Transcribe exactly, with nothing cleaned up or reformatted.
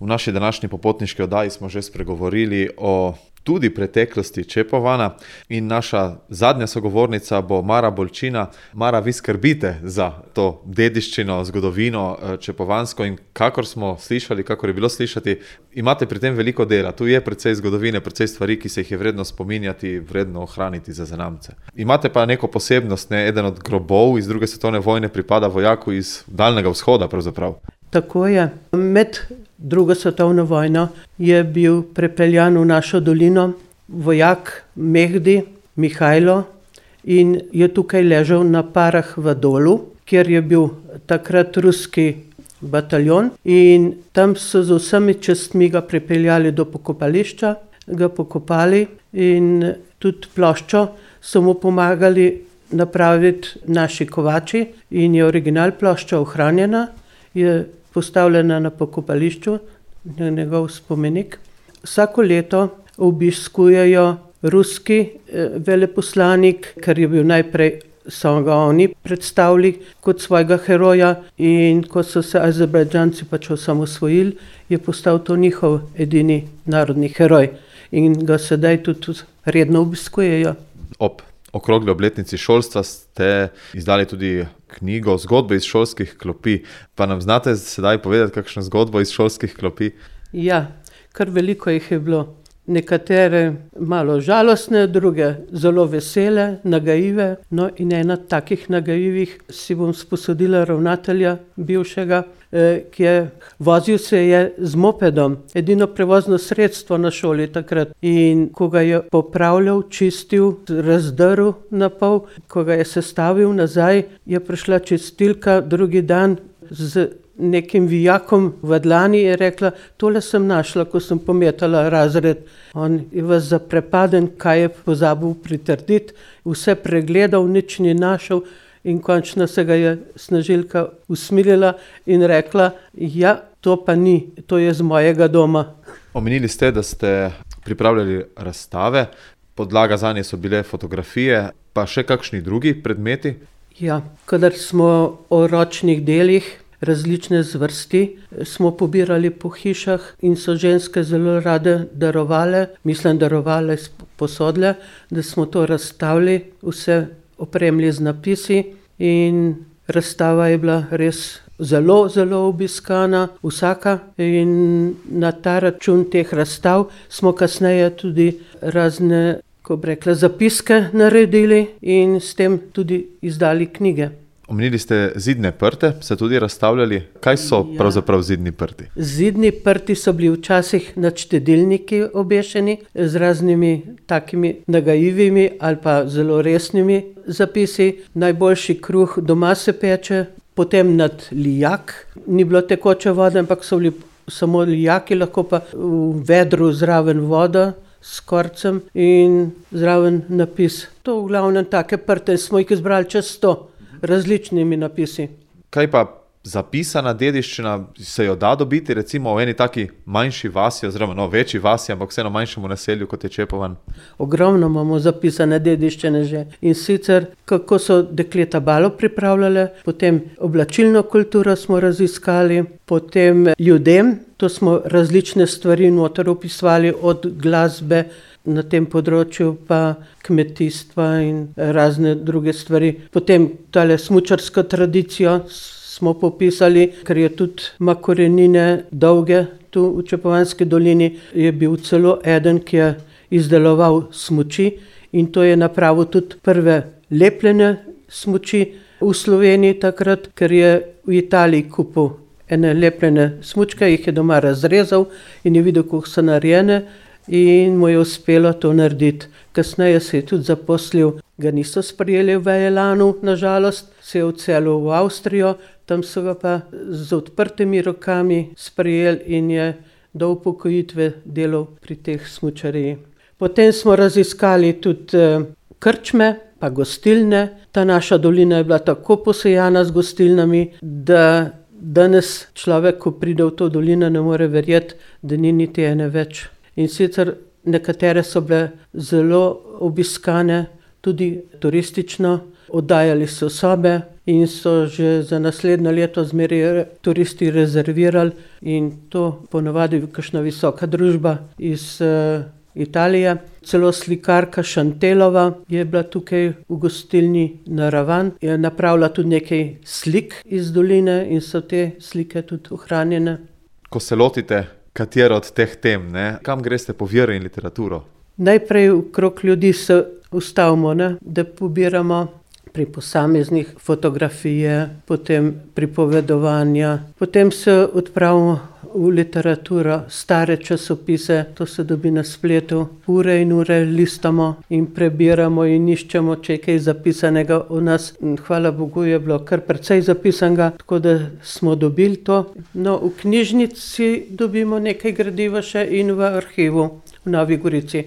V naši današnji popotniški oddaji smo že spregovorili o tudi preteklosti Čepovana in naša zadnja sogovornica bo Mara Bolčina. Mara, vi skrbite za to dediščino, zgodovino čepovansko in kakor smo slišali, kakor je bilo slišati, imate pri tem veliko dela. Tu je precej zgodovine, precej stvari, ki se jih je vredno spominjati, vredno ohraniti za zanamce. Imate pa neko posebnost, ne? Eden od grobov iz druge svetovne vojne pripada vojaku iz Daljnega vzhoda pravzaprav. Tako je. Med drugo svetovno vojno je bil prepeljan v našo dolino vojak Mehdi Mihajlo in je tukaj ležal na Parah v Dolu, kjer je bil takrat ruski bataljon, in tam so z vsemi častmi ga pripeljali do pokopališča, ga pokopali in tudi ploščo so mu pomagali napraviti naši kovači in je original plošča ohranjena, je postavljena na pokopališču, na njegov spomenik. Vsako leto obiskujejo ruski eh, veleposlanik, ker je bil najprej, so ga oni predstavili kot svojega heroja, in ko so se Azerbajdžanci pač osamosvojili, je postal to njihov edini narodni heroj in ga sedaj tudi redno obiskujejo. Ob okrogli obletnici šolstva ste izdali tudi knjigo Zgodbe iz šolskih klopi. Pa nam znate sedaj povedati kakšno zgodbo iz šolskih klopi? Ja, kar veliko jih je bilo. Nekatere malo žalostne, druge zelo vesele, nagajive. No in ena takih nagajivih si bom sposodila ravnatelja bivšega, eh, ki je vozil se je z mopedom, edino prevozno sredstvo na šoli takrat. In ko ga je popravljal, čistil, razdrl na pol, ko ga je sestavil nazaj, je prišla čistilka drugi dan z nekim vijakom v dlani, je rekla: tole sem našla, ko sem pometala razred. On je vas zaprepaden, kaj je pozabil pritrditi, vse pregledal, nič ni našel in končno se ga je snažilka usmilila in rekla: ja, to pa ni, to je z mojega doma. Omenili ste, da ste pripravljali razstave, podlaga zanje so bile fotografije, pa še kakšni drugi predmeti? Ja, kadar smo o ročnih delih različne zvrsti, smo pobirali po hišah in so ženske zelo rade darovale, mislim darovale, posodile, da smo to razstavili, vse opremili z napisi, in razstava je bila res zelo, zelo obiskana, vsaka, in na ta račun teh razstav smo kasneje tudi razne, ko bi rekla, zapiske naredili in s tem tudi izdali knjige. Omenili ste zidne prte, se tudi razstavljali. Kaj so ja. pravzaprav zidni prti? Zidni prti so bili včasih nad štedilniki obešeni z raznimi takimi nagajivimi ali pa zelo resnimi zapisi. Najboljši kruh doma se peče, potem nad lijak. Ni bilo tekoče vode, ampak so bili samo lijaki, lahko pa v vedru zraven voda s korcem in zraven napis. To v glavnem take prte, smo jih izbrali čez sto. Različnimi napisi. Kaj pa zapisana dediščina, se jo da dobiti recimo v eni taki manjši vasi, oziroma no, večji vasi, ampak vseeno manjšemu naselju, kot je Čepovan? Ogromno imamo zapisane dediščine že. In sicer, kako so dekleta balo pripravljale, potem oblačilno kulturo smo raziskali, potem ljudem, to smo različne stvari noter opisovali, od glasbe, na tem področju pa kmetijstva in razne druge stvari. Potem tale smučarsko tradicijo smo popisali, ker je tudi ima korenine dolge tu v Čepovanski dolini. Je bil celo eden, ki je izdeloval smuči, in to je napravil tudi prve lepljene smuči v Sloveniji takrat, ker je v Italiji kupil ene lepljene smučke, jih je doma razrezal in je videl, kako so narejene, in mu je uspelo to narediti. Kasneje se je tudi zaposlil, ga niso sprejeli v Elanu, nažalost, se je odselil v Avstrijo, tam so ga pa z odprtimi rokami sprejeli in je do upokojitve delal pri teh smučariji. Potem smo raziskali tudi krčme pa gostilne. Ta naša dolina je bila tako posejana z gostilnami, da danes človek, ko pride v to dolino, ne more verjeti, da ni niti ene več. In sicer nekatere so bile zelo obiskane, tudi turistično. oddajali so sobe in so že za naslednje leto zmeraj turisti rezervirali in to ponavadi kakšna visoka družba iz uh, Italije. Celo slikarka Šantelova je bila tukaj v gostilni Naravan, je napravila tudi nekaj slik iz doline in so te slike tudi ohranjene. Ko se lotite katero od teh tem, ne? Kam greste po vero in literaturo? Najprej okrog ljudi se ustavimo, ne? Da pobiramo pri posameznih fotografije, potem pripovedovanja, potem se odpravimo v literaturo, stare časopise, to se dobi na spletu, ure in ure listamo in prebiramo in iščemo, če je kaj zapisanega o nas. Hvala Bogu je bilo kar precej zapisanega, tako da smo dobili to. No, v knjižnici dobimo nekaj gradiva še in v arhivu v Novi Gorici.